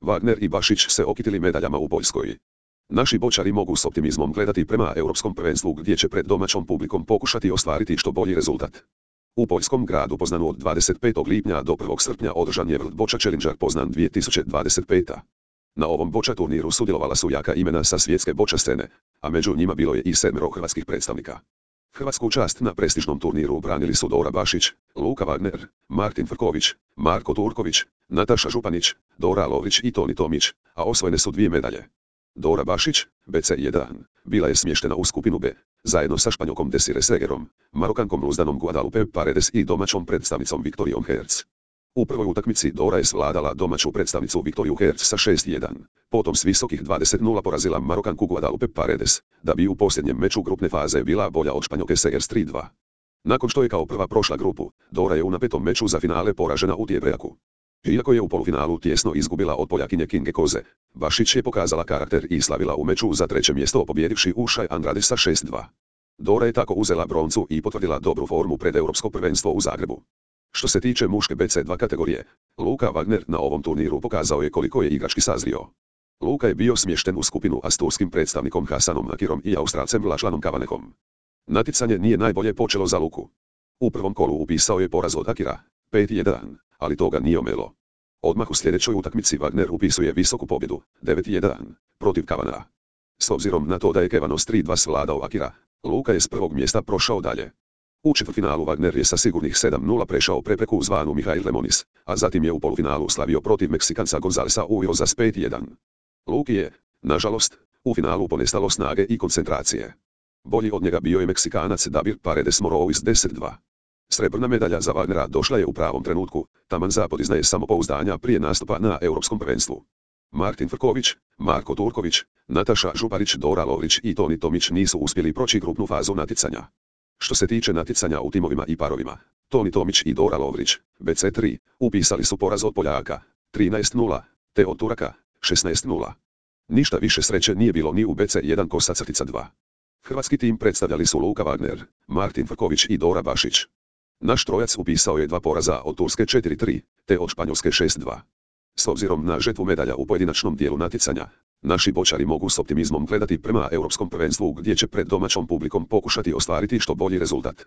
Wagner i Bašić se okitili medaljama u Poljskoj. Naši bočari mogu s optimizmom gledati prema europskom prvenstvu gdje će pred domaćom publikom pokušati ostvariti što bolji rezultat. U poljskom gradu Poznanu od 25. lipnja do 1. srpnja održan je World Boča Challenger Poznan 2025. Na ovom boča turniru sudjelovala su jaka imena sa svjetske boča scene, a među njima bilo je i 7 hrvatskih predstavnika. Hrvatsku čast na prestižnom turniru branili su Dora Bašić, Luka Wagner, Martin Frković, Marko Turković, Nataša Županić, Dora Lovrić i Toni Tomić, a osvojene su 2 medalje. Dora Bašić, BC1, bila je smještena u skupinu B, zajedno sa Španjolkom Desire Segerom, Marokankom Luzdanom Guadalupe Paredes i domaćom predstavnicom Viktorijom Herc. U prvoj utakmici Dora je svladala domaću predstavnicu Viktoriju Herc sa 6:1, potom s visokih 20:0 porazila Marokanku Guadalupe Paredes, da bi u posljednjem meču grupne faze bila bolja od Španjolke Segers 3:2. Nakon što je kao prva prošla grupu, Dora je u napetom meču za finale poražena u tiebreaku. Iako je u polufinalu tjesno izgubila od Poljakinje Kinge Koze, Bašić je pokazala karakter i slavila u meču za 3. mjesto pobjedivši Ušaj Andrade sa 6:2. Dora je tako uzela broncu i potvrdila dobru formu pred Europsko prvenstvo u Zagrebu. Što se tiče muške BC2 kategorije, Luka Wagner na ovom turniru pokazao je koliko je igrački sazrio. Luka je bio smješten u skupinu a s turskim predstavnikom Hasanom Nakirom i Australcem Lašlanom Kavanehom. Natjecanje nije najbolje počelo za Luku. U prvom kolu upisao je poraz od Akira, 5:1, ali to ga nije omelo. Odmah u sljedećoj utakmici Wagner upisuje visoku pobjedu, 9:1, protiv Kavanaha. S obzirom na to da je Kevanos 3:2 svladao Akira, Luka je s prvog mjesta prošao dalje. U četvrtfinalu Wagner je sa sigurnih 7:0 prešao prepreku zvanu Mihail Lemonis, a zatim je u polufinalu slavio protiv Meksikanca Gonzalesa Uyoza s 5:1. Luki je, nažalost, u finalu ponestalo snage i koncentracije. Bolji od njega bio je Meksikanac Dabir Paredes Morovis 10:2. Srebrna medalja za Wagnera došla je u pravom trenutku, taman za podizanje samopouzdanja prije nastupa na Europskom prvenstvu. Martin Frković, Marko Turković, Nataša Županić, Dora Lovrić i Toni Tomić nisu uspjeli proći grupnu fazu natjecanja. Što se tiče natjecanja u timovima i parovima, Toni Tomić i Dora Lovrić, BC3, upisali su poraz od Poljaka, 13:0, te od Turaka, 16:0. Ništa više sreće nije bilo ni u BC1 Kosa-2. Hrvatski tim predstavljali su Luka Wagner, Martin Frković i Dora Bašić. Naš trojac upisao je 2 poraza od Turske 4:3, te od Španjolske 6:2. S obzirom na žetvu medalja u pojedinačnom dijelu natjecanja, naši bočari mogu s optimizmom gledati prema Europskom prvenstvu gdje će pred domaćom publikom pokušati ostvariti što bolji rezultat.